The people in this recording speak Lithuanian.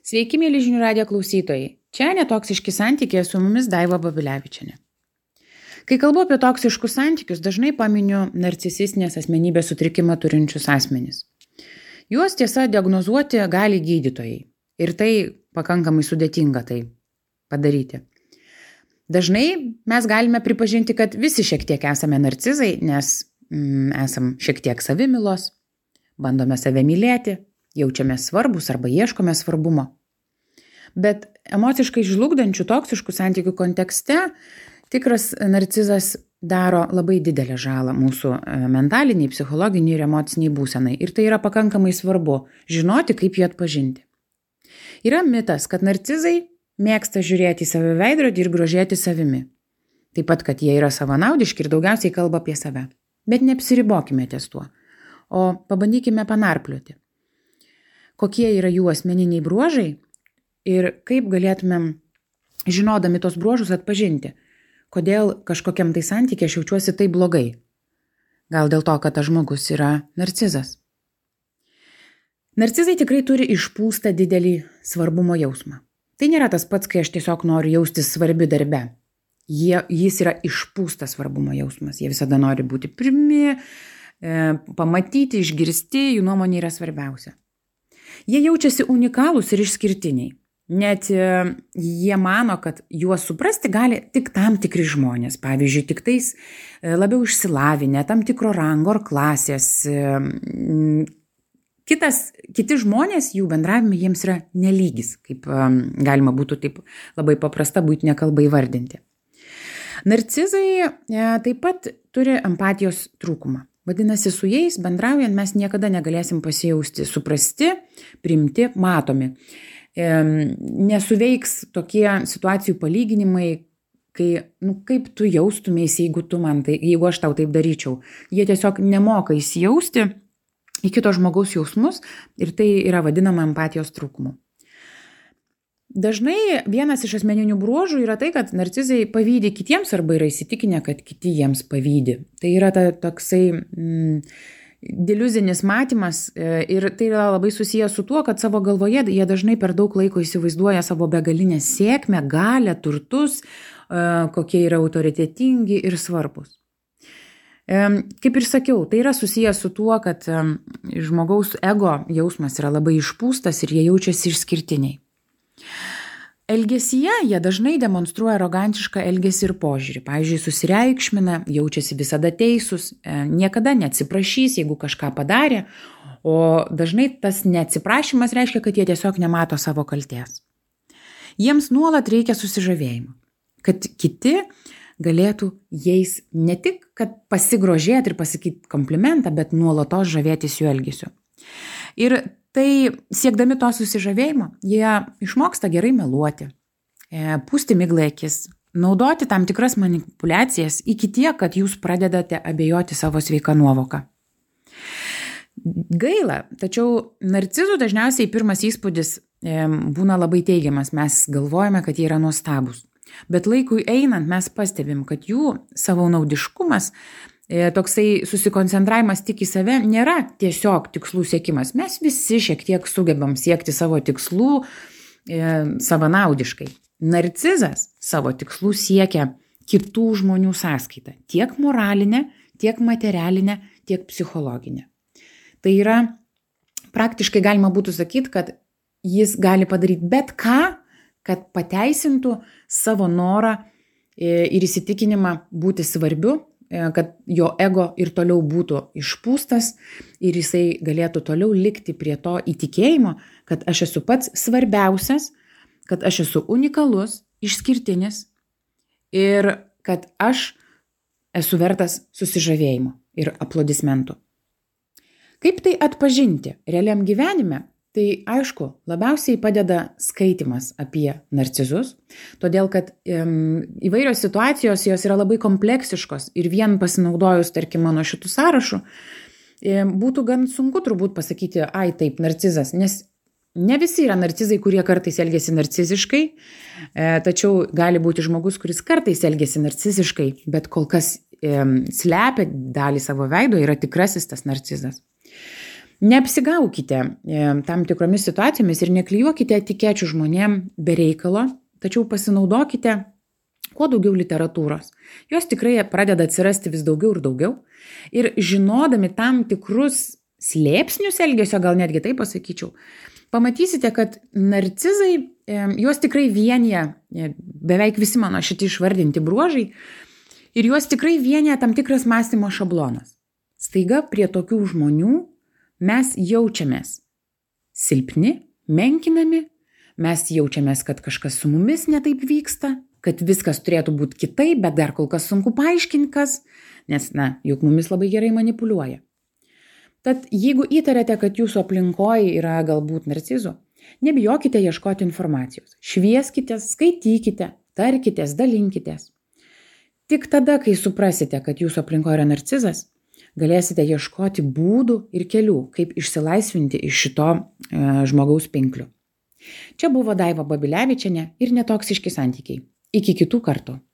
Sveiki, mėly žinių radijo klausytojai. Čia netoksiški santykiai, su mumis Daiva Babilevičienė. Kai kalbu apie toksiškus santykius, dažnai paminiu narcisistinės asmenybės sutrikimą turinčius asmenys. Juos tiesa diagnozuoti gali gydytojai. Ir tai pakankamai sudėtinga tai padaryti. Dažnai mes galime pripažinti, kad visi šiek tiek esame narcizai, nes esam šiek tiek savimilos, bandome save mylėti, jaučiame svarbus arba ieškome svarbumo. Bet emociškai žlugdančių toksiškų santykių kontekste tikras narcizas daro labai didelę žalą mūsų mentaliniai, psichologiniai ir emociniai būsenai. Ir tai yra pakankamai svarbu žinoti, kaip jį atpažinti. Yra mitas, kad narcizai mėgsta žiūrėti į save veidrodį ir grožėti savimi. Taip pat, kad jie yra savanaudiški ir daugiausiai kalba apie save. Bet neapsiribokime ties tuo, o pabandykime panarplioti. Kokie yra jų asmeniniai bruožai ir kaip galėtumėm, žinodami tos bruožus, atpažinti, kodėl kažkokiam tai santykiai aš jaučiuosi taip blogai. Gal dėl to, kad tas žmogus yra narcizas. Narcizai tikrai turi išpūstą didelį svarbumo jausmą. Tai nėra tas pats, kai aš tiesiog noriu jaustis svarbi darbe. Jis yra išpūstas svarbumo jausmas. Jie visada nori būti pirmi, pamatyti, išgirsti, jų nuomonė yra svarbiausia. Jie jaučiasi unikalūs ir išskirtiniai. Net jie mano, kad juos suprasti gali tik tam tikri žmonės. Pavyzdžiui, tik tais labiau išsilavinę, tam tikro rango ar klasės. Kiti žmonės, jų bendravime jiems yra nelygis, kaip galima būtų taip labai paprasta buitinė kalba įvardinti. Narcizai taip pat turi empatijos trūkumą. Vadinasi, su jais bendraujant mes niekada negalėsim pasijausti suprasti, priimti, matomi. Nesuveiks tokie situacijų palyginimai, kai, kaip tu jaustumėsi, jeigu aš tau taip daryčiau. Jie tiesiog nemoka įsijausti į kito žmogaus jausmus ir tai yra vadinama empatijos trūkumu. Dažnai vienas iš asmeninių bruožų yra tai, kad narcizai pavydi kitiems arba yra įsitikinę, kad kiti jiems pavydi. Tai yra toksai diliuzinis matymas ir tai yra labai susijęs su tuo, kad savo galvoje jie dažnai per daug laiko įsivaizduoja savo begalinę sėkmę, galią, turtus, kokie yra autoritetingi ir svarbus. Kaip ir sakiau, tai yra susijęs su tuo, kad žmogaus ego jausmas yra labai išpūstas ir jie jaučiasi išskirtiniai. Elgesyje jie dažnai demonstruoja arogantišką elgesį ir požiūrį. Pavyzdžiui, susireikšmina, jaučiasi visada teisūs, niekada neatsiprašys, jeigu kažką padarė, o dažnai tas neatsiprašymas reiškia, kad jie tiesiog nemato savo kaltės. Jiems nuolat reikia susižavėjimo, kad kiti galėtų jais ne tik, kad pasigrožėti ir pasakyti komplimentą, bet nuolatos žavėtis jų elgesiu. Ir tai siekdami to susižavėjimo, jie išmoksta gerai meluoti, pūsti miglą akis, naudoti tam tikras manipulacijas iki tiek, kad jūs pradedate abejoti savo sveiką nuovoką. Gaila, tačiau narcizų dažniausiai pirmas įspūdis būna labai teigiamas, mes galvojame, kad jie yra nuostabūs. Bet laikui einant mes pastebim, kad jų savanaudiškumas, toksai susikoncentravimas tik į save nėra tiesiog tikslų siekimas. Mes visi šiek tiek sugebam siekti savo tikslų savanaudiškai. Narcizas savo tikslų siekia kitų žmonių sąskaitą. Tiek moralinę, tiek materialinę, tiek psichologinę. Tai yra, praktiškai galima būtų sakyti, kad jis gali padaryti bet ką, kad pateisintų savo norą ir įsitikinimą būti svarbiu, kad jo ego ir toliau būtų išpūstas ir jisai galėtų toliau likti prie to įtikėjimo, kad aš esu pats svarbiausias, kad aš esu unikalus, išskirtinis ir kad aš esu vertas susižavėjimo ir aplodismentų. Kaip tai atpažinti realiam gyvenime? Tai aišku, labiausiai padeda skaitimas apie narcizus, todėl kad įvairios situacijos jos yra labai kompleksiškos ir vien pasinaudojus, tarkim, mano šitų sąrašų, būtų gan sunku turbūt pasakyti, taip, narcizas, nes ne visi yra narcizai, kurie kartais elgiasi narciziškai, tačiau gali būti žmogus, kuris kartais elgiasi narciziškai, bet kol kas slepia dalį savo veido, yra tikrasis tas narcizas. Neapsigaukite tam tikromis situacijomis ir neklijuokite etikečių žmonėm be reikalo, tačiau pasinaudokite kuo daugiau literatūros. Jos tikrai pradeda atsirasti vis daugiau ir daugiau. Ir žinodami tam tikrus slėpsnius elgesio, gal netgi taip pasakyčiau, pamatysite, kad narcizai, juos tikrai vienyje, beveik visi mano šitie išvardinti bruožai, ir juos tikrai vienyje tam tikras mąstymo šablonas. Staiga prie tokių žmonių mes jaučiamės silpni, menkinami, mes jaučiamės, kad kažkas su mumis netaip vyksta, kad viskas turėtų būti kitaip, bet dar kol kas sunku paaiškinti kas, nes, juk mumis labai gerai manipuliuoja. Tad jeigu įtariate, kad jūsų aplinkoje yra galbūt narcizų, nebijokite ieškoti informacijos. Švieskitės, skaitykite, tarkitės, dalinkitės. Tik tada, kai suprasite, kad jūsų aplinkoje yra narcizas, galėsite ieškoti būdų ir kelių, kaip išsilaisvinti iš šito žmogaus pinklių. Čia buvo Daiva Babilevičienė ir Netoksiški santykiai. Iki kitų kartų.